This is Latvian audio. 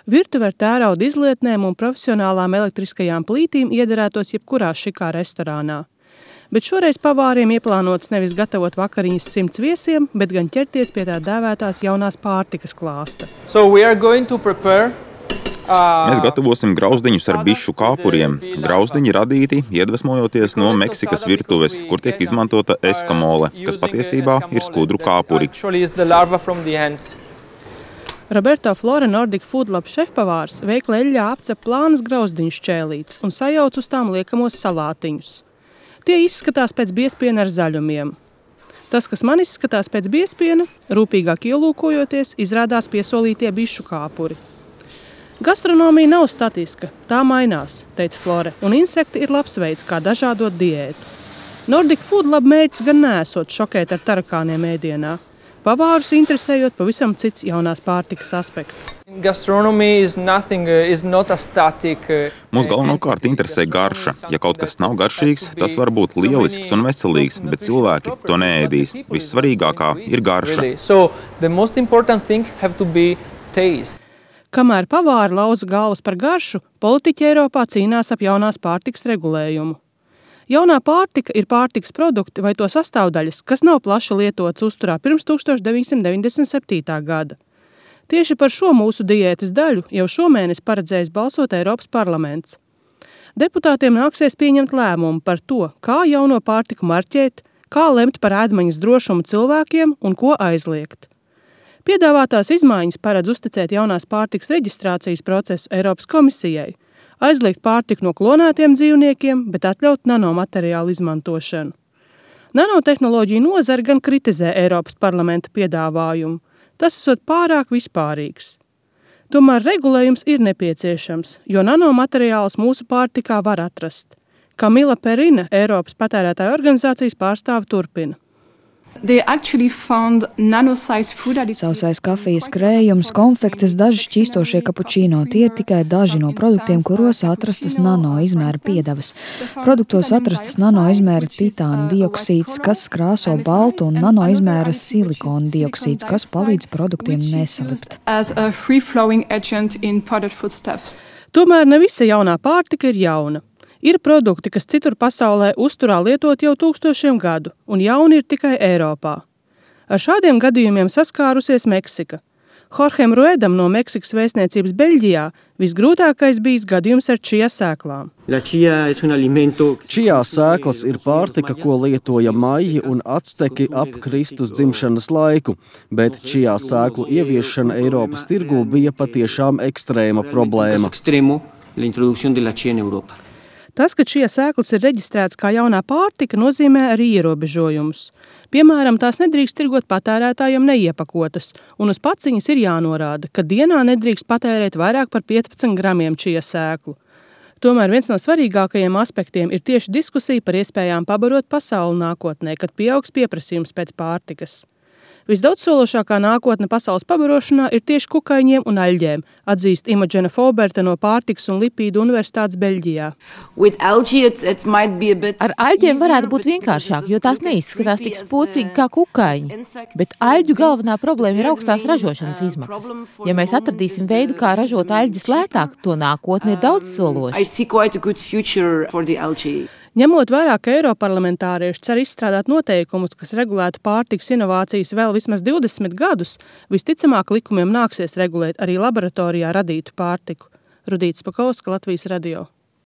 Virtuve ar tērauda izlietnēm un profesionālām elektriskajām plītīm iederētos jebkurā šikā restorānā. Bet šoreiz pavāriem ieplānots nevis gatavot vakariņas 100 viesiem, bet gan ķerties pie tā dēvētās jaunās pārtikas klāsta. Mēs gatavosim grauzdiņus ar bišu kāpuriem. Grauzdiņi radīti, iedvesmojoties no Meksikas virtuves, kur tiek izmantota eskamole, kas patiesībā ir skudru kāpuri. Roberto Flore Nordic Food Lab šefpavārs veikla eļļā apcep plānas grauzdiņu šķēlītes un sajauc uz tām liekamos salātiņus. Tie izskatās pēc biespiena ar zaļumiem. Tas, kas man izskatās pēc biespiena, rūpīgāk ielūkojoties, izrādās piesolītie bišu kāpuri. Gastronomija nav statiska, tā mainās, teica Flore, un insekti ir labs veids, kā dažādot diētu. Nordic Food Lab mērķis gan neesot šokēt ar tarakāniem ēdienā. Pavārus interesējot pavisam cits jaunās pārtikas aspekts. Mūs galvenokārt interesē garša. Ja kaut kas nav garšīgs, tas var būt lielisks un veselīgs, bet cilvēki to neēdīs. Vissvarīgākā ir garša. Kamēr pavāri lauza galvas par garšu, politiķi Eiropā cīnās ap jaunās pārtikas regulējumu. Jaunā pārtika ir pārtikas produkti vai to sastāvdaļas, kas nav plaši lietotas uzturā pirms 1997. gada. Tieši par šo mūsu diētas daļu jau šomēnes paredzējis balsot Eiropas parlaments. Deputātiem nāksies pieņemt lēmumu par to, kā jauno pārtiku marķēt, kā lemt par ēdmaņas drošumu cilvēkiem un ko aizliegt. Piedāvātās izmaiņas paredz uzticēt jaunās pārtikas reģistrācijas procesu Eiropas komisijai, aizliegt pārtiku no klonētiem dzīvniekiem, bet atļaut nanomateriālu izmantošanu. Nanotehnoloģiju nozare gan kritizē Eiropas parlamenta piedāvājumu. Tas esot pārāk vispārīgs. Tomēr regulējums ir nepieciešams, jo nanomateriālus mūsu pārtikā var atrast. Kamila Perina, Eiropas patērētāju organizācijas pārstāve, turpina. Sausais kafijas krējums, konfektes, daži šķīstošie kapučīno. Tie ir tikai daži no produktiem, kuros atrastas nano izmēra piedevas. Produktos atrastas nano izmēra titāna dioksīds, kas krāso baltu, un nano izmēra silikona dioksīds, kas palīdz produktiem nesalipt. Tomēr ne visa jaunā pārtika ir jauna. Ir produkti, kas citur pasaulē uzturā lietot jau tūkstošiem gadu, un jauni ir tikai Eiropā. Ar šādiem gadījumiem saskārusies Meksika. Jorgem Ruedam no Meksikas vēstniecības Beļģijā visgrūtākais bijis gadījums ar čija sēklām. Čijā sēklas ir pārtika, ko lietoja maji un acteki ap Kristus dzimšanas laiku, bet čijā sēklu ieviešana Eiropas tirgū bija patiešām ekstrēma problēma. Tas, ka šie sēklas ir reģistrēts kā jaunā pārtika, nozīmē arī ierobežojumus. Piemēram, tās nedrīkst tirgot patērētājiem neiepakotas, un uz paciņas ir jānorāda, ka dienā nedrīkst patērēt vairāk par 15 gramiem šie sēklu. Tomēr viens no svarīgākajiem aspektiem ir tieši diskusija par iespējām pabarot pasauli nākotnē, kad pieaugs pieprasījums pēc pārtikas. Visdaudzsološākā nākotne pasaules pabarošanā ir tieši kukaiņiem un aļģēm, atzīst Imogena Foberta no Pārtikas un lipīdu universitātes Beļģijā. Ar aļģēm varētu būt vienkāršāk, jo tās neizskatās tik spocīgi kā kukaiņi. Bet aļģu galvenā problēma ir augstās ražošanas izmaksas. Ja mēs atradīsim veidu, kā ražot aļģes lētāk, to nākotne ir daudzsološa. Ņemot vērā, ka eiroparlamentārieši cer izstrādāt noteikumus, kas regulētu pārtikas inovācijas vēl vismaz 20 gadus, visticamāk likumiem nāksies regulēt arī laboratorijā radītu pārtiku. Rudīta Spakovska, Latvijas radio.